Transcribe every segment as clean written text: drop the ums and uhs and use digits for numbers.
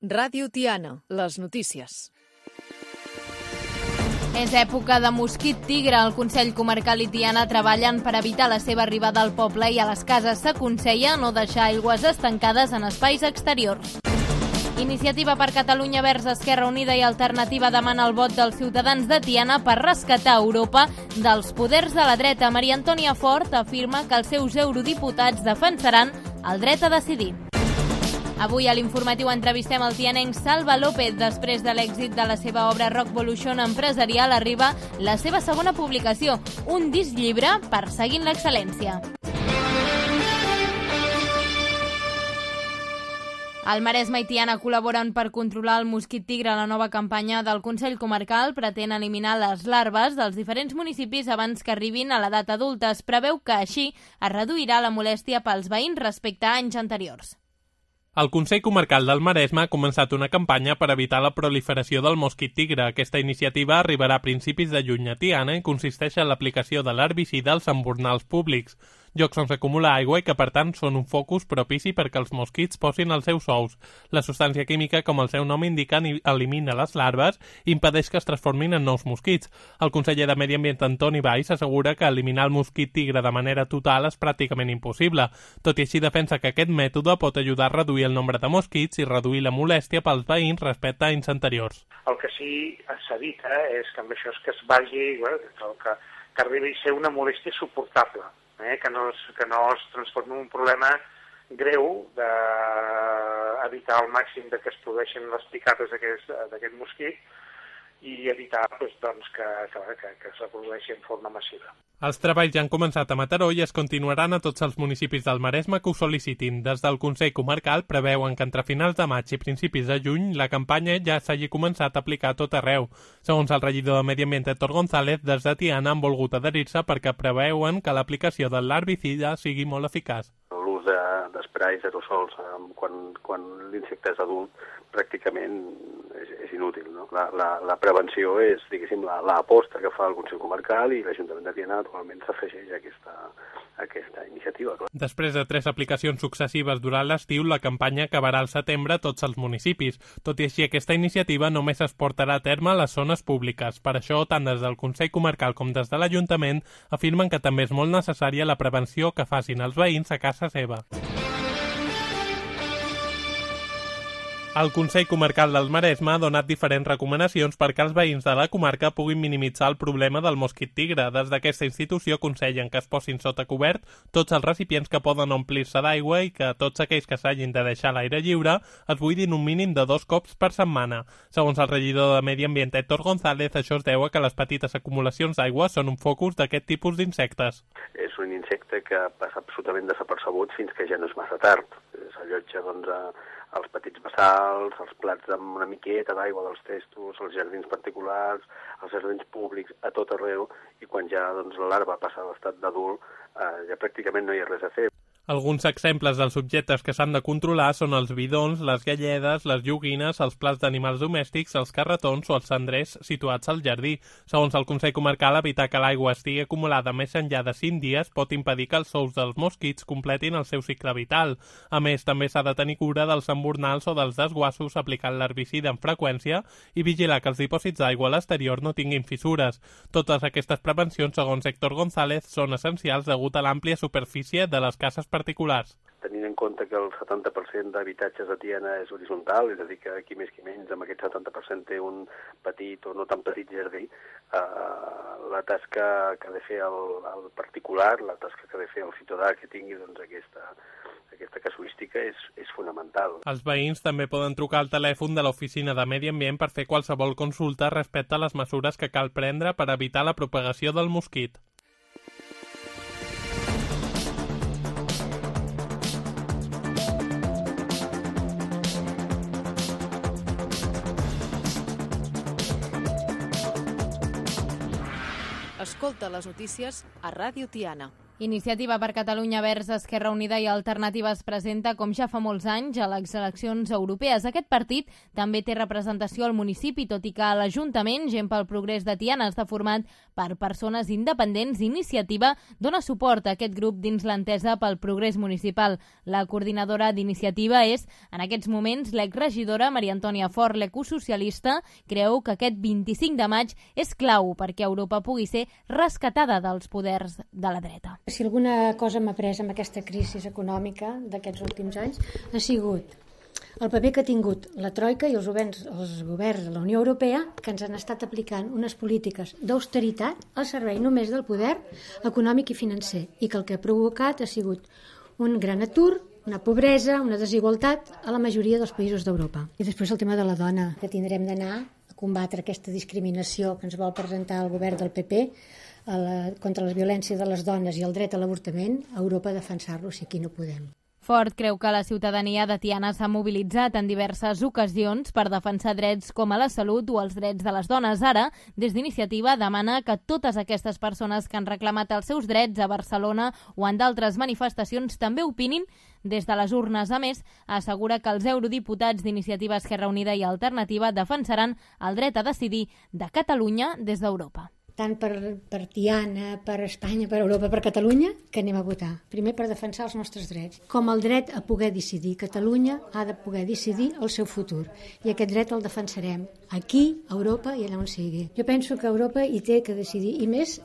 Ràdio Tiana, les notícies. És època de mosquit tigre. El Consell Comarcal i Tiana treballen per evitar la seva arribada al poble i a les cases s'aconsella no deixar aigües estancades en espais exteriors. Iniciativa per Catalunya Verds, Esquerra Unida i Alternativa demana el vot dels ciutadans de Tiana per rescatar Europa dels poders de la dreta. Maria Antònia Fort afirma que els seus eurodiputats defensaran el dret a decidir. Avui a l'informatiu entrevistem el tianenc Salva López. Després de l'èxit de la seva obra Rockvolution empresarial arriba la seva segona publicació, un disc llibre perseguint l'excel·lència. El Maresme i Tiana col·laboren per controlar el mosquit tigre. La nova campanya del Consell Comarcal pretén eliminar les larves dels diferents municipis abans que arribin a l'edat adulta. Es preveu que així es reduirà la molèstia pels veïns respecte a anys anteriors. El Consell Comarcal del Maresme ha començat una campanya per evitar la proliferació del mosquit tigre. Aquesta iniciativa arribarà a principis de juny a Tiana i consisteix en l'aplicació de l'herbicida als embornals públics, llocs on s'acumula aigua i que, per tant, són un focus propici perquè els mosquits posin els seus ous. La substància química, com el seu nom indica, elimina les larves i impedeix que es transformin en nous mosquits. El conseller de Medi Ambient, Antoni Valls, assegura que eliminar el mosquit tigre de manera total és pràcticament impossible. Tot i així, defensa que aquest mètode pot ajudar a reduir el nombre de mosquits i reduir la molèstia pels veïns respecte a anys anteriors. El que sí s'evita és que amb això és que es vagi, que arribi a ser una molèstia suportable. Que no es transformi en un problema greu d'evitar al màxim que es produeixin les picades d'aquest mosquit i evitar que es reprodueixi en forma massiva. Els treballs ja han començat a Mataró i es continuaran a tots els municipis del Maresme que ho sol·licitin. Des del Consell Comarcal preveuen que entre finals de maig i principis de juny la campanya ja s'hagi començat a aplicar a tot arreu. Segons el regidor de Medi Ambient, Héctor González, des de Tiana han volgut adherir-se perquè preveuen que l'aplicació de l'herbicida sigui molt eficaç. L'ús d'esprais aerosols quan l'insecte és adult pràcticament és inútil, no? La prevenció és, diguéssim, l'aposta que fa el Consell Comarcal i l'Ajuntament de Tiana actualment s'afegeix a aquesta iniciativa. Després de 3 aplicacions successives durant l'estiu, la campanya acabarà al setembre a tots els municipis. Tot i així, aquesta iniciativa només es portarà a terme a les zones públiques. Per això, tant des del Consell Comarcal com des de l'Ajuntament afirmen que també és molt necessària la prevenció que facin els veïns a casa seva. El Consell Comarcal del Maresme ha donat diferents recomanacions perquè els veïns de la comarca puguin minimitzar el problema del mosquit tigre. Des d'aquesta institució aconsellen que es posin sota cobert tots els recipients que poden omplir-se d'aigua i que tots aquells que s'hagin de deixar a l'aire lliure es buidin un mínim de 2 cops per setmana. Segons el regidor de Medi Ambient, Héctor González, això es deu a que les petites acumulacions d'aigua són un focus d'aquest tipus d'insectes. És un insecte que passa absolutament desapercebut fins que ja no és massa tard. S'allotja, els petits bassals, els plats amb una miqueta d'aigua dels testos, els jardins particulars, els jardins públics, a tot arreu, i quan ja la larva passa a l'estat d'adult, ja pràcticament no hi ha res a fer. Alguns exemples dels objectes que s'han de controlar són els bidons, les galledes, les joguines, els plats d'animals domèstics, els carretons o els cendrers situats al jardí. Segons el Consell Comarcal, evitar que l'aigua estigui acumulada més enllà de 5 dies pot impedir que els ous dels mosquits completin el seu cicle vital. A més, també s'ha de tenir cura dels embornals o dels desguassos aplicant l'herbicida amb freqüència i vigilar que els dipòsits d'aigua a l'exterior no tinguin fissures. Totes aquestes prevencions, segons Héctor González, són essencials degut a l'àmplia superfície de les cases particulars. Tenint en compte que el 70% d'habitatges de Tiana és horitzontal, és a dir, que qui més qui menys amb aquest 70% té un petit o no tan petit jardí, la tasca que ha de fer el particular, la tasca que ha de fer el ciutadà que tingui aquesta casuística és fonamental. Els veïns també poden trucar al telèfon de l'Oficina de Medi Ambient per fer qualsevol consulta respecte a les mesures que cal prendre per evitar la propagació del mosquit. Escolta les notícies a Ràdio Tiana. Iniciativa per Catalunya Verds, Esquerra Unida i Alternativa es presenta, com ja fa molts anys, a les eleccions europees. Aquest partit també té representació al municipi, tot i que a l'Ajuntament, Gent pel Progrés de Tiana està format per persones independents. Iniciativa dona suport a aquest grup dins l'entesa pel progrés municipal. La coordinadora d'Iniciativa és, en aquests moments, l'exregidora Maria Antònia Fort, l'ecosocialista, creu que aquest 25 de maig és clau perquè Europa pugui ser rescatada dels poders de la dreta. Si alguna cosa m'ha après amb aquesta crisi econòmica d'aquests últims anys ha sigut el paper que ha tingut la Troika i els governs de la Unió Europea, que ens han estat aplicant unes polítiques d'austeritat al servei només del poder econòmic i financer, i que el que ha provocat ha sigut un gran atur, una pobresa, una desigualtat a la majoria dels països d'Europa. I després el tema de la dona, que tindrem d'anar a combatre aquesta discriminació que ens vol presentar el govern del PP contra la violència de les dones i el dret a l'avortament, a Europa defensar-lo si aquí no podem. Fort creu que la ciutadania de Tiana s'ha mobilitzat en diverses ocasions per defensar drets com a la salut o els drets de les dones. Ara, des d'Iniciativa, demana que totes aquestes persones que han reclamat els seus drets a Barcelona o en d'altres manifestacions també opinin des de les urnes. A més, assegura que els eurodiputats d'Iniciativa, Esquerra Unida i Alternativa defensaran el dret a decidir de Catalunya des d'Europa. Tant per Tiana, per Espanya, per Europa, per Catalunya, que anem a votar. Primer per defensar els nostres drets, com el dret a poder decidir. Catalunya ha de poder decidir el seu futur, i aquest dret el defensarem aquí, a Europa i allà on sigui. Jo penso que Europa hi té que decidir, i més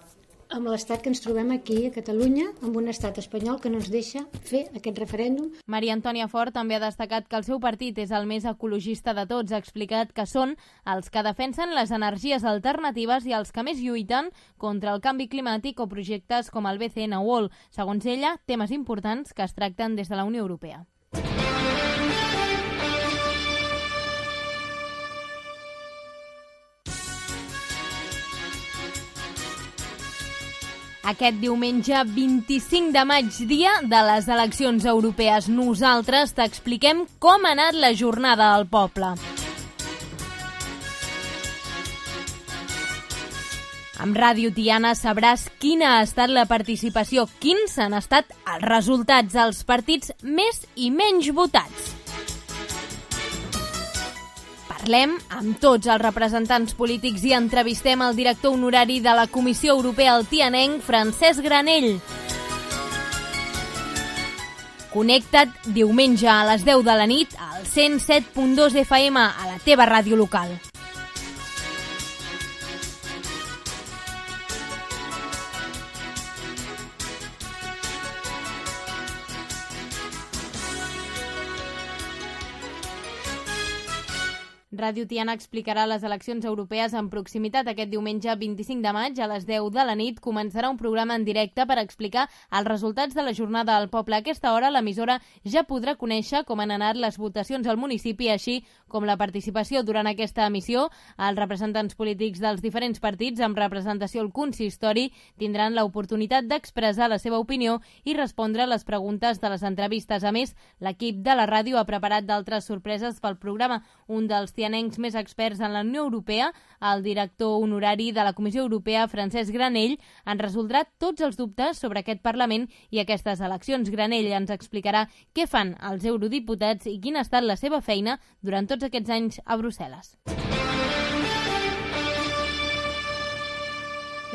amb l'estat que ens trobem aquí a Catalunya, amb un estat espanyol que no ens deixa fer aquest referèndum. Maria Antònia Fort també ha destacat que el seu partit és el més ecologista de tots. Ha explicat que són els que defensen les energies alternatives i els que més lluiten contra el canvi climàtic o projectes com el BCN World. Segons ella, temes importants que es tracten des de la Unió Europea. Aquest diumenge 25 de maig, dia de les eleccions europees, nosaltres t'expliquem com ha anat la jornada al poble. Amb Ràdio Tiana sabràs quina ha estat la participació, quins han estat els resultats dels partits més i menys votats. Parlem amb tots els representants polítics i entrevistem el director honorari de la Comissió Europea al tianenc, Francesc Granell. Connecta't diumenge a les 10 de la nit al 107.2 FM a la teva ràdio local. Ràdio Tiana explicarà les eleccions europees en proximitat. Aquest diumenge 25 de maig a les 10 de la nit començarà un programa en directe per explicar els resultats de la jornada al poble. A aquesta hora l'emissora ja podrà conèixer com han anat les votacions al municipi, així com la participació durant aquesta emissió. Els representants polítics dels diferents partits amb representació al consistori tindran l'oportunitat d'expressar la seva opinió i respondre a les preguntes de les entrevistes. A més, l'equip de la ràdio ha preparat d'altres sorpreses pel programa. Un dels tianencs més experts en la Unió Europea, el director honorari de la Comissió Europea, Francesc Granell, en resoldrà tots els dubtes sobre aquest Parlament i aquestes eleccions. Granell ens explicarà què fan els eurodiputats i quina ha estat la seva feina durant tots aquests anys a Brussel·les.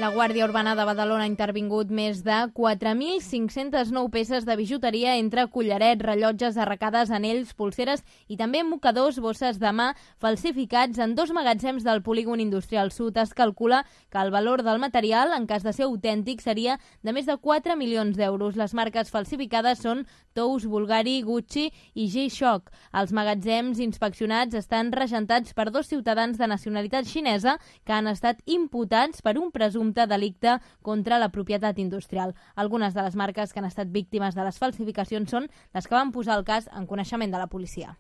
La Guàrdia Urbana de Badalona ha intervingut més de 4.509 peces de bijuteria entre collarets, rellotges, arracades, anells, polseres i també mocadors, bosses de mà falsificats en 2 magatzems del polígon industrial sud. Es calcula que el valor del material, en cas de ser autèntic, seria de més de 4 milions d'euros. Les marques falsificades són Tous, Bulgari, Gucci i G-Shock. Els magatzems inspeccionats estan regentats per 2 ciutadans de nacionalitat xinesa que han estat imputats per un presumpte delicte contra la propietat industrial. Algunes de les marques que han estat víctimes de les falsificacions són les que van posar el cas en coneixement de la policia.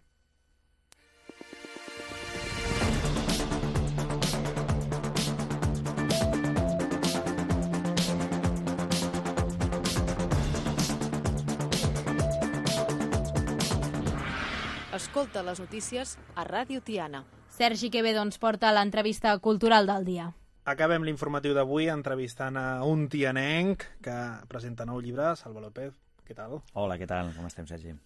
Escolta les notícies a Ràdio Tiana. Sergi Quevedo ens porta l'entrevista cultural del dia. Acabem l'informatiu d'avui entrevistant a un tianenc que presenta nou llibre, Salva López. Què tal? Hola, què tal? Com estem, Sergi?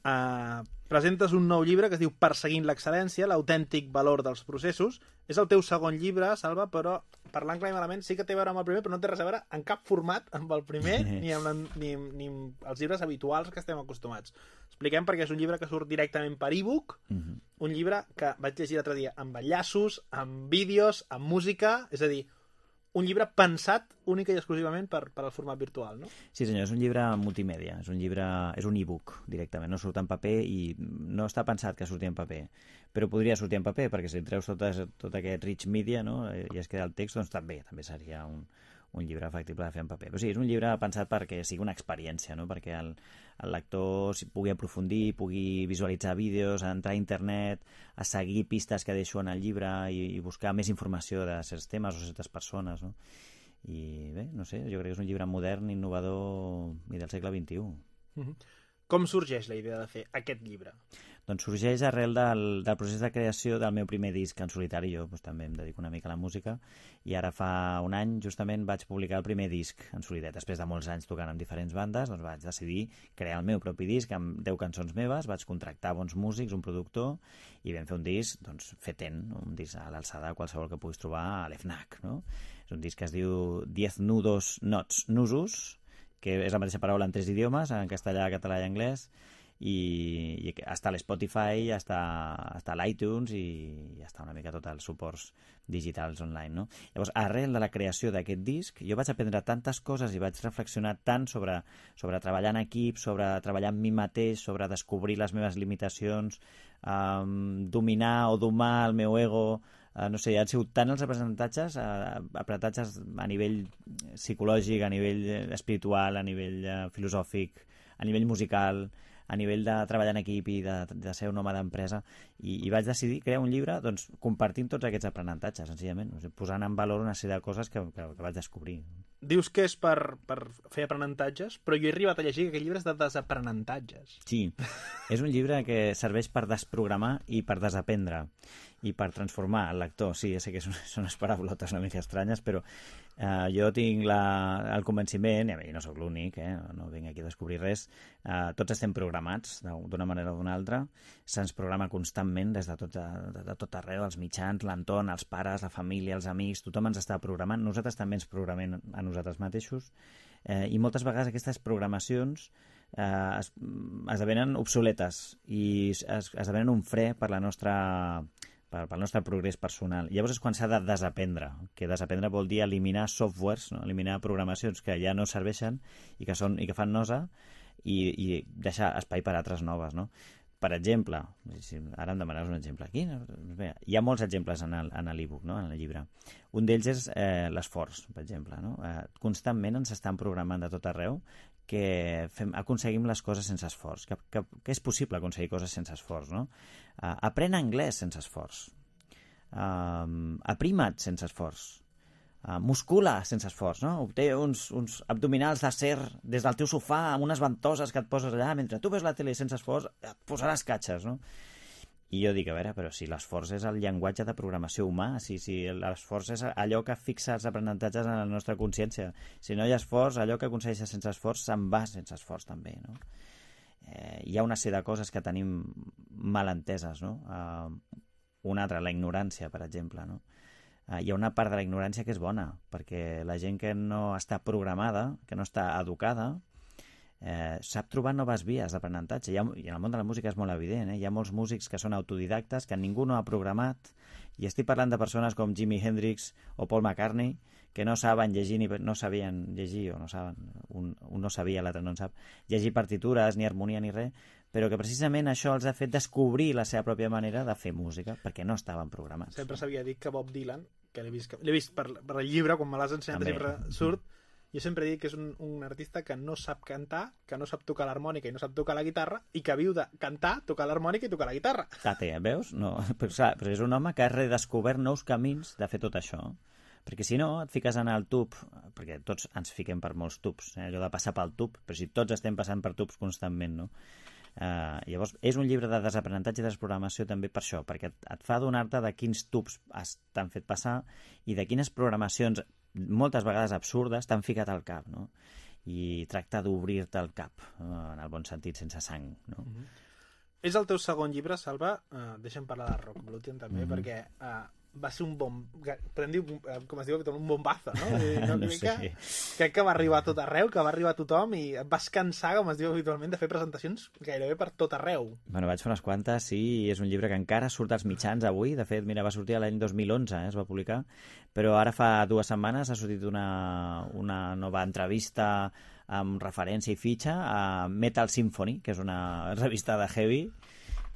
Presentes un nou llibre que es diu Perseguint l'excel·lència, l'autèntic valor dels processos. És el teu segon llibre, Salva, però parlant clar i malament sí que té a veure amb el primer, però no té res a veure en cap format amb el primer ni amb els llibres habituals que estem acostumats. Expliquem perquè és un llibre que surt directament per e-book, un llibre que vaig llegir l'altre dia amb enllaços, amb vídeos, amb música, és a dir, un llibre pensat única i exclusivament per al format virtual, no? Sí, senyor, és un llibre multimèdia, és un e-book directament, no surt en paper i no està pensat que surti en paper, però podria sortir en paper, perquè si treus tot aquest rich media, no?, i es queda el text, doncs també seria un llibre factible de fer en paper. Però sí, és un llibre pensat perquè sigui una experiència, no?, perquè el lector pugui aprofundir, pugui visualitzar vídeos, entrar a internet, a seguir pistes que deixo en el llibre i buscar més informació de certs temes o certes persones, no? I bé, no sé, jo crec que és un llibre modern, innovador i del segle XXI. Com sorgeix la idea de fer aquest llibre? Doncs sorgeix arrel del procés de creació del meu primer disc en solitari. Jo també em dedico una mica a la música i ara fa un any justament vaig publicar el primer disc en solitari. Després de molts anys tocant amb diferents bandes, doncs vaig decidir crear el meu propi disc amb 10 cançons meves, vaig contractar bons músics, un productor, i vam fer un disc doncs, fetent, un disc a l'alçada qualsevol que puguis trobar a l'FNAC, no? És un disc que es diu 10 nusos, que és la mateixa paraula en 3 idiomes, en castellà, català i anglès, i està a l'Spotify, està a l'iTunes i està una mica tots els suports digitals online, no? Llavors, arrel de la creació d'aquest disc, jo vaig aprendre tantes coses i vaig reflexionar tant sobre treballar en equip, sobre treballar amb mi mateix, sobre descobrir les meves limitacions, dominar o domar el meu ego. No sé, han sigut tant els aprenentatges a nivell psicològic, a nivell espiritual, a nivell filosòfic, a nivell musical, a nivell de treballar en equip i de ser un home d'empresa, i vaig decidir crear un llibre doncs, compartint tots aquests aprenentatges, senzillament, posant en valor una sèrie de coses que vaig descobrir. Dius que és per fer aprenentatges, però jo he arribat a llegir que aquest llibre és de desaprenentatges. Sí, és un llibre que serveix per desprogramar i per desaprendre i per transformar el lector. Sí, ja sé que són unes paraulotes una mica estranyes, però jo tinc el convenciment, i no sóc l'únic, no vinc aquí a descobrir res, tots estem programats d'una manera o d'una altra, se'ns programa constantment des de tot arreu, els mitjans, l'entorn, els pares, la família, els amics, tothom ens està programant, nosaltres també ens programem a nosaltres mateixos, i moltes vegades aquestes programacions esdevenen obsoletes i esdevenen un fre per la pel nostre progrés personal. Llavors és quan s'ha de desaprendre, que desaprendre vol dir eliminar softwares, no? Eliminar programacions que ja no serveixen i que fan nosa, i deixar espai per a altres noves, no? Per exemple, ara em demanaves un exemple aquí, hi ha molts exemples en l'e-book, no? En el llibre. Un d'ells és l'esforç, per exemple, no? Constantment ens estan programant de tot arreu que aconseguim les coses sense esforç, que és possible aconseguir coses sense esforç, no? Aprèn anglès sense esforç, aprima't sense esforç, muscula sense esforç, no? Obté uns abdominals d'acer des del teu sofà amb unes ventoses que et poses allà mentre tu ves la tele sense esforç, et posaràs catxes, no? I jo dic, a veure, però si l'esforç és el llenguatge de programació humà, si l'esforç és allò que fixa els aprenentatges en la nostra consciència, si no hi ha esforç, allò que aconsegueixes sense esforç se'n va sense esforç també, no? Hi ha una sèrie de coses que tenim mal enteses, no? Una altra, la ignorància, per exemple, no? Hi ha una part de la ignorància que és bona, perquè la gent que no està programada, que no està educada, sap trobar noves vies d'aprenentatge. I en el món de la música és molt evident, hi ha molts músics que són autodidactes, que ningú no ha programat, i estic parlant de persones com Jimi Hendrix o Paul McCartney, que no saben llegir, no sabien llegir, o no saben, un no sabia, l'altre no en sap, llegir partitures, ni harmonia, ni res, però que precisament això els ha fet descobrir la seva pròpia manera de fer música, perquè no estaven programats. Sempre s'havia dit que Bob Dylan, que l'he vist per el llibre, quan me l'has ensenyat, sempre surt. Jo sempre dic que és un artista que no sap cantar, que no sap tocar l'harmònica i no sap tocar la guitarra, i que viu de cantar, tocar l'harmònica i tocar la guitarra. Tate, veus? No, però és un home que ha redescobert nous camins de fer tot això. Perquè si no, et fiques en el tub, perquè tots ens fiquem per molts tubs, allò de passar pel tub, però si tots estem passant per tubs constantment, no? Llavors, és un llibre de desaprenentatge i desprogramació també per això, perquè et fa adonar-te de quins tubs t'han fet passar i de quines programacions, moltes vegades absurdes, t'han ficat al cap, no? I tracta d'obrir-te el cap, en el bon sentit, sense sang, no? És el teu segon llibre, Salva. Deixa'm parlar de Rock Bottom també, perquè va ser un bon... Podem dir, com es diu, un bombazo, no? No sé. Crec que va arribar a tot arreu, que va arribar a tothom i et vas cansar, com es diu habitualment, de fer presentacions gairebé per tot arreu. Bueno, vaig fer unes quantes, sí, i és un llibre que encara surt als mitjans avui. De fet, mira, va sortir l'any 2011, es va publicar, però ara fa 2 setmanes ha sortit una nova entrevista amb referència i fitxa a Metal Symphony, que és una revista de heavy,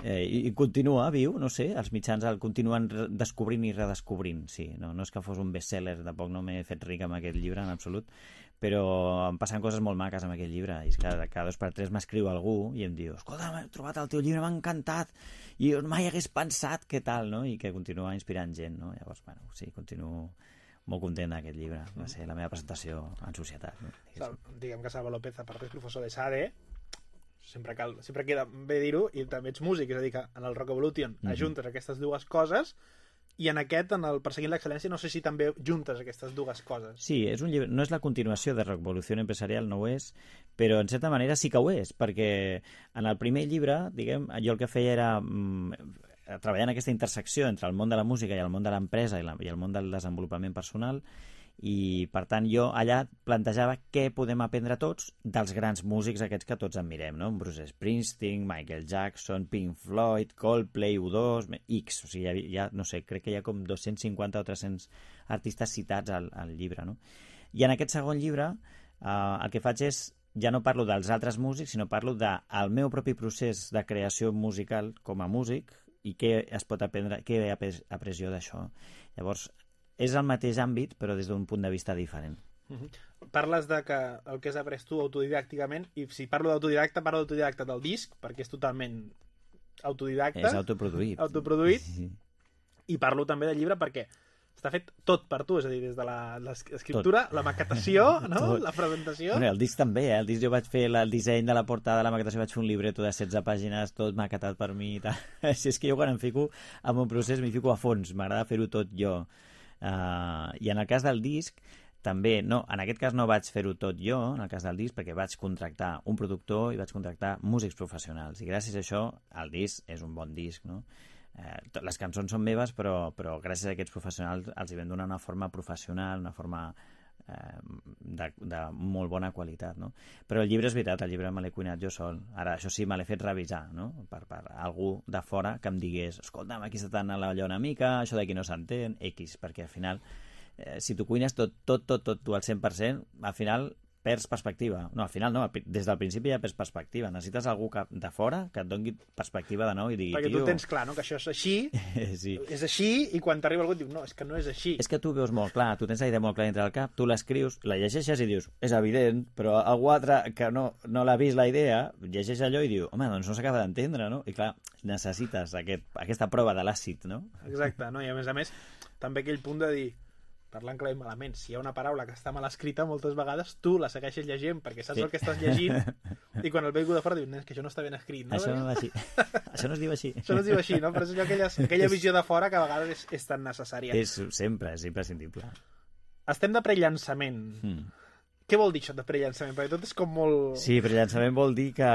i continua viu, no sé, els mitjans el continuen descobrint i redescobrint, sí, no és que fos un bestseller, tampoc no m'he fet ric amb aquest llibre en absolut, però em passen coses molt maques amb aquest llibre, i és que cada 2 per 3 m'escriu algú i em diu, escolta, m'he trobat el teu llibre, m'ha encantat, i mai hagués pensat què tal, no? I que continua inspirant gent, no? Llavors, bueno, sí, continuo molt content d'aquest llibre, va ser la meva presentació en societat, no? Diguem que Salva López, a part és professor de SADE, sempre queda bé dir-ho, i també ets músic, és a dir, que en el Rock Evolution ajuntes aquestes dues coses, i en aquest, en el Perseguint l'excel·lència, no sé si també juntes aquestes dues coses. Sí, és un llibre, no és la continuació de Rock Evolution Empresarial, no ho és, però en certa manera sí que ho és, perquè en el primer llibre, diguem, jo el que feia era treballar en aquesta intersecció entre el món de la música i el món de l'empresa i el món del desenvolupament personal, i per tant jo allà plantejava què podem aprendre tots dels grans músics aquests que tots admirem, no? Bruce Springsteen, Michael Jackson, Pink Floyd, Coldplay, U2, X, o sigui, no sé, crec que hi ha com 250 o 300 artistes citats al llibre, no? I en aquest segon llibre el que faig és, ja no parlo dels altres músics, sinó parlo del meu propi procés de creació musical com a músic i què es pot aprendre, què he après jo d'això. Llavors, és el mateix àmbit, però des d'un punt de vista diferent. Parles de que el que has après tu autodidàcticament, i si parlo d'autodidacta, parlo d'autodidacta del disc, perquè és totalment autodidacta. És autoproduït. Sí. I parlo també del llibre perquè està fet tot per tu, és a dir, des de l'escriptura, la maquetació, no? La presentació... Bueno, el disc també, el disc jo vaig fer el disseny de la portada, la maquetació, vaig fer un libreto de 16 pàgines, tot maquetat per mi i tal. Així és que jo quan em fico en un procés m'hi fico a fons, m'agrada fer-ho tot jo. I en el cas del disc també, no, en aquest cas no vaig fer-ho tot jo, en el cas del disc, perquè vaig contractar un productor i vaig contractar músics professionals, i gràcies a això el disc és un bon disc, no? Les cançons són meves, però gràcies a aquests professionals els hi vam donar una forma professional, una forma de molt bona qualitat, no? Però el llibre és veritat, el llibre me l'he cuinat jo sol. Ara, això sí, me l'he fet revisar, no? Per algú de fora que em digués, escolta'm, aquí està tant a l'allò una mica, això d'aquí no s'entén, X, perquè al final, si tu cuines tot tu al 100%, al final perds perspectiva. No, al final no, des del principi ja perds perspectiva. Necessites algú de fora que et doni perspectiva de nou i digui... Perquè tu tens clar, no?, que això és així, sí. És així, i quan t'arriba algú et diu, no, és que no és així. És que tu veus molt clar, tu tens la idea molt clara dintre del cap, tu l'escrius, la llegeixes i dius, és evident, però algú altre que no l'ha vist la idea, llegeix allò i diu, home, doncs no s'acaba d'entendre, no? I clar, necessites aquesta prova de l'àcid, no? Exacte, no? I a més, també aquell punt de dir, parlant clar i malament, si hi ha una paraula que està mal escrita, moltes vegades tu la segueixes llegint perquè saps el que estàs llegint, i quan el ve algú de fora diu, que això no està ben escrit, no? Això no va així. Això no es diu així. Això no es diu així, no? Però és aquella visió de fora que a vegades és tan necessària. És imprescindible. Estem de prellançament. Què vol dir això de prellançament? Perquè tot és com molt... Sí, prellançament vol dir que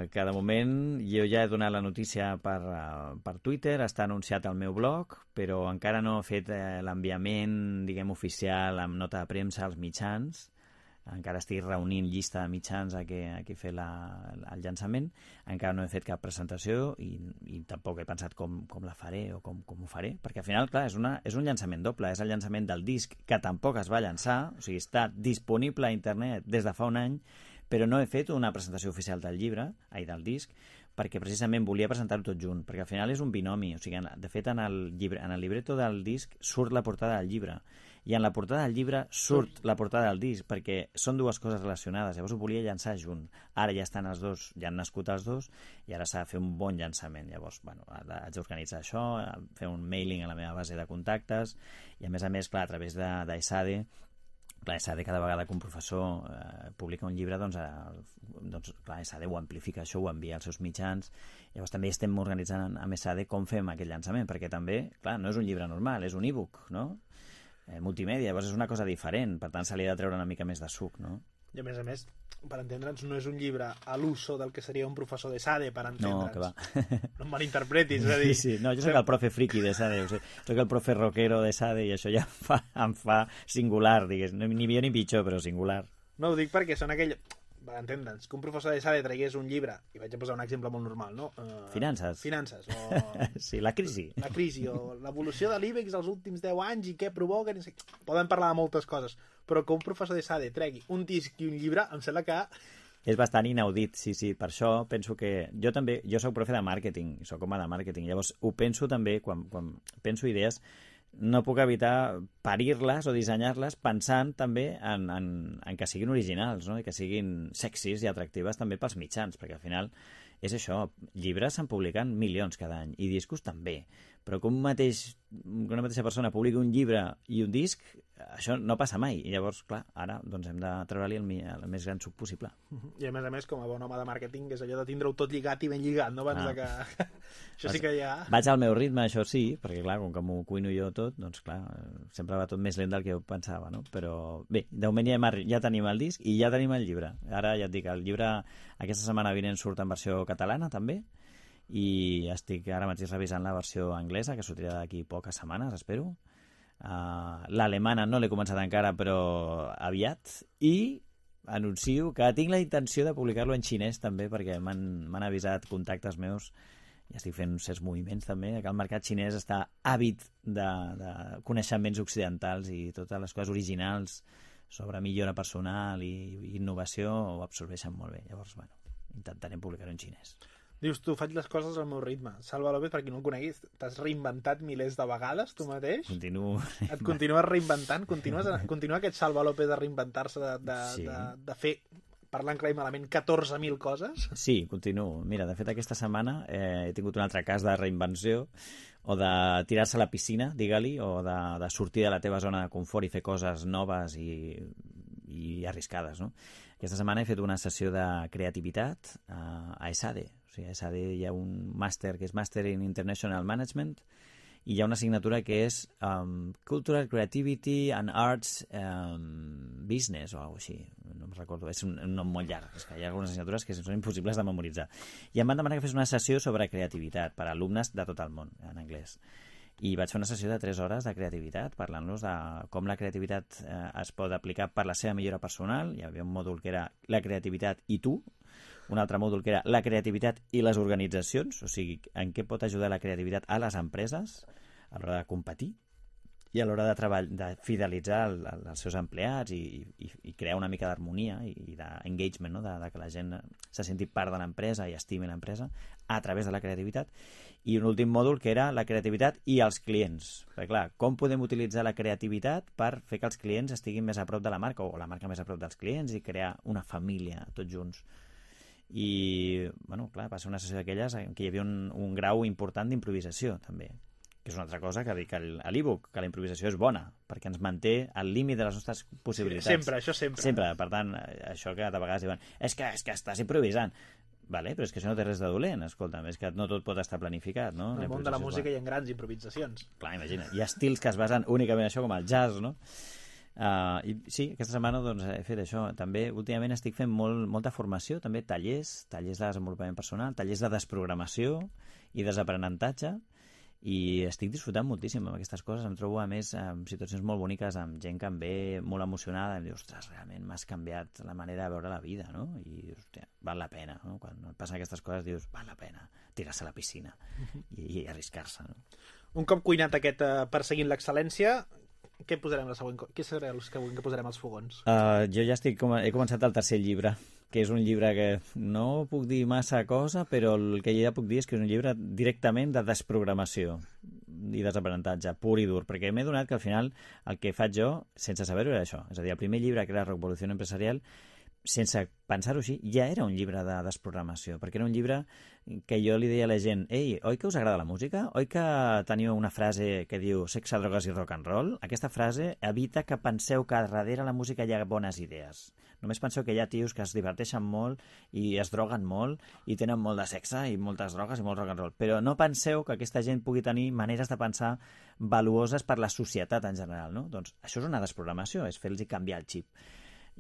de moment jo ja he donat la notícia per Twitter, està anunciat al meu blog, però encara no he fet l'enviament, diguem, oficial amb nota de premsa als mitjans. Encara estic reunint llista de mitjans a què fer el llançament. Encara no he fet cap presentació i tampoc he pensat com la faré o com ho faré, perquè al final, clar, és un llançament doble, és el llançament del disc que tampoc es va llançar, o sigui, està disponible a internet des de fa un any, però no he fet una presentació oficial del del disc, perquè precisament volia presentar-ho tot junt, perquè al final és un binomi, o sigui, de fet en el libreto del disc surt la portada del llibre, i en la portada del llibre surt la portada del disc, perquè són dues coses relacionades, llavors ho volia llançar junt. Ara ja estan els dos, ja han nascut els dos, i ara s'ha de fer un bon llançament. Llavors, bueno, haig d'organitzar això, fer un mailing a la meva base de contactes, i a més, clar, a través d'ESADE Clar, SAD cada vegada que un professor publica un llibre, doncs clar, SAD ho amplifica, això ho envia als seus mitjans. Llavors també estem organitzant amb SAD com fem aquest llançament, perquè també, clar, no és un llibre normal, és un e-book, no? Multimèdia, llavors és una cosa diferent, per tant se li ha de treure una mica més de suc, no? I a més, per entendre'ns, no és un llibre a l'uso del que seria un professor de SADE, per entendre'ns. No, que va. No em malinterpretis, és a dir... Sí. No, jo soc el profe friki de SADE, soc el profe rockero de SADE i això ja em fa singular, digués. Ni millor ni pitjor, però singular. No, ho dic perquè són aquell... Per entendre'ns, que un professor de SADE tragués un llibre, i vaig a posar un exemple molt normal, no? Finances, o... Sí, la crisi. La crisi, o l'evolució de l'IBEX els últims 10 anys i què provoca... Podem parlar de moltes coses, però que un professor de SADE tregui un disc i un llibre, em sembla que... És bastant inaudit, sí. Per això penso que... Jo soc profe de màrqueting, soc home de màrqueting, llavors ho penso també, quan penso idees, no puc evitar parir-les o dissenyar-les pensant també en que siguin originals, no? I que siguin sexis i atractives també pels mitjans, perquè al final és això, llibres se'n publiquen milions cada any i discos també, però que una mateixa persona publiqui un llibre i un disc, això no passa mai, i llavors, clar, ara doncs hem de treure-li el més gran suc possible. I a més, com a bon home de màrqueting, és allò de tindre-ho tot lligat i ben lligat, no? Abans de que... Això sí que ja... Vaig al meu ritme, això sí, perquè clar, com que m'ho cuino jo tot, doncs clar, sempre va tot més lent del que jo pensava, no? Però bé, de moment ja tenim el disc i ja tenim el llibre. Ara ja et dic, el llibre aquesta setmana vinent surt en versió catalana també, i estic ara mateix revisant la versió anglesa, que sortirà d'aquí poques setmanes, espero. L'alemana no l'he començat encara, però aviat, i anuncio que tinc la intenció de publicar-lo en xinès també, perquè m'han avisat contactes meus, i estic fent certs moviments també, que el mercat xinès està àvid de coneixements occidentals i totes les coses originals sobre millora personal i innovació ho absorbeixen molt bé. Llavors, bueno, intentarem publicar-ho en xinès. Dius, tu faig les coses al meu ritme. Salva López, per qui no el coneguis, t'has reinventat milers de vegades, tu mateix? Continuo. Et continues reinventant? Continua aquest Salva López de reinventar-se, de fer, parlant clar i malament, 14.000 coses? Sí, continuo. Mira, de fet, aquesta setmana he tingut un altre cas de reinvenció, o de tirar-se a la piscina, digue-li, o de sortir de la teva zona de confort i fer coses noves i arriscades, no? Aquesta setmana he fet una sessió de creativitat a ESADE. O sigui, a ESADE hi ha un màster que és Master in International Management i hi ha una assignatura que és Cultural Creativity and Arts Business o alguna cosa així, no em recordo, és un nom molt llarg, és que hi ha algunes assignatures que són impossibles de memoritzar. I em van demanar que fes una sessió sobre creativitat per a alumnes de tot el món, en anglès. I vaig fer una sessió de 3 hores de creativitat, parlant-los de com la creativitat es pot aplicar per la seva millora personal. Hi havia un mòdul que era la creativitat i tu, un altre mòdul que era la creativitat i les organitzacions, o sigui, en què pot ajudar la creativitat a les empreses a l'hora de competir i a l'hora de fidelitzar els seus empleats i crear una mica d'harmonia i d'engagement, no? de que la gent se senti part de l'empresa i estimi l'empresa a través de la creativitat. I un últim mòdul que era la creativitat i els clients. Perquè clar, com podem utilitzar la creativitat per fer que els clients estiguin més a prop de la marca o la marca més a prop dels clients i crear una família tots junts. I, bueno, clar, va ser una sessió d'aquelles en què hi havia un grau important d'improvisació també, que és una altra cosa que dic a l'e-book, que la improvisació és bona, perquè ens manté al límit de les nostres possibilitats. Sempre, això sempre. Sempre, per tant, això que de vegades diuen és que estàs improvisant. Vale, però és que això no té res de dolent, escolta'm, és que no tot pot estar planificat, no? En el món de la música hi ha grans improvisacions. Clar, imagina, hi ha estils que es basen únicament en això, com el jazz, no? I sí, aquesta setmana doncs, he fet això. També últimament estic fent molta formació, també tallers de desenvolupament personal, tallers de desprogramació i desaprenentatge, i estic disfrutant moltíssim amb aquestes coses. Em trobo a més en situacions molt boniques amb gent que em ve molt emocionada i em diu, ostres, realment m'has canviat la manera de veure la vida, no? I hòstia, val la pena, no? Quan et passen aquestes coses dius, val la pena tirar-se a la piscina i arriscar-se, no? Un cop cuinat aquest perseguint l'excel·lència, què posarem la següent? Què serà el següent que posarem als fogons? Jo ja he començat el tercer llibre, que és un llibre que no puc dir massa cosa, però el que ja puc dir és que és un llibre directament de desprogramació i desaprenentatge, pur i dur, perquè m'he donat que al final el que faig jo, sense saber-ho, era això. És a dir, el primer llibre, que era Revolució Empresarial, sense pensar-ho així, ja era un llibre de desprogramació, perquè era un llibre que jo li deia a la gent, ei, oi que us agrada la música? Oi que teniu una frase que diu sexe, drogues i rock and roll? Aquesta frase evita que penseu que darrere la música hi ha bones idees. Només penseu que hi ha tios que es diverteixen molt i es droguen molt i tenen molt de sexe i moltes drogues i molt rock and roll. Però no penseu que aquesta gent pugui tenir maneres de pensar valuoses per la societat en general, no? Doncs això és una desprogramació, és fer-los canviar el xip.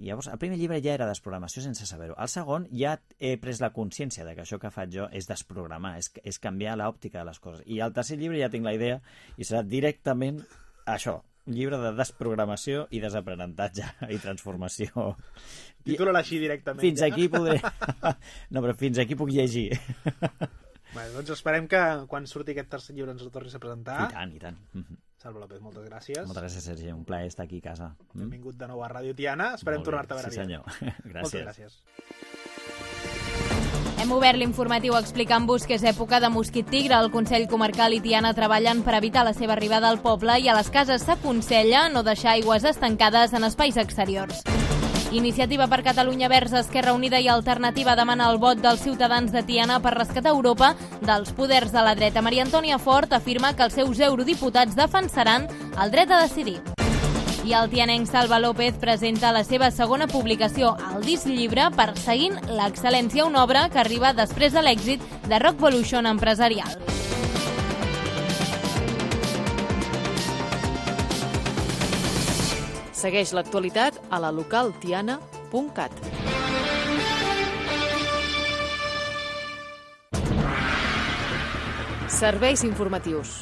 I llavors, el primer llibre ja era desprogramació sense saber-ho. El segon ja he pres la consciència de que això que faig jo és desprogramar, és canviar l'òptica de les coses. I al tercer llibre ja tinc la idea i serà directament això, un llibre de desprogramació i desaprenentatge i transformació. Titula-la així directament. Fins aquí podré... No, però fins aquí puc llegir. Bé, doncs esperem que quan surti aquest tercer llibre ens el tornis a presentar. I tant. Salvo López, moltes gràcies. Moltes gràcies, Sergi. Un plaer estar aquí a casa. Benvingut de nou a Ràdio Tiana. Esperem tornar-te a veure aviat. Sí, senyor. Gràcies. Moltes gràcies. Hem obert l'informatiu explicant-vos que és època de mosquit tigre. El Consell Comarcal i Tiana treballen per evitar la seva arribada al poble i a les cases s'aconsella no deixar aigües estancades en espais exteriors. Iniciativa per Catalunya Verds, Esquerra Unida i Alternativa demana el vot dels ciutadans de Tiana per rescatar Europa dels poders de la dreta. Maria Antònia Fort afirma que els seus eurodiputats defensaran el dret a decidir. I el tianenc Salva López presenta la seva segona publicació, el disc llibre Perseguint l'excel·lència, una obra que arriba després de l'èxit de Rockvolution empresarial. Segueix l'actualitat a la localtiana.cat. Serveis informatius.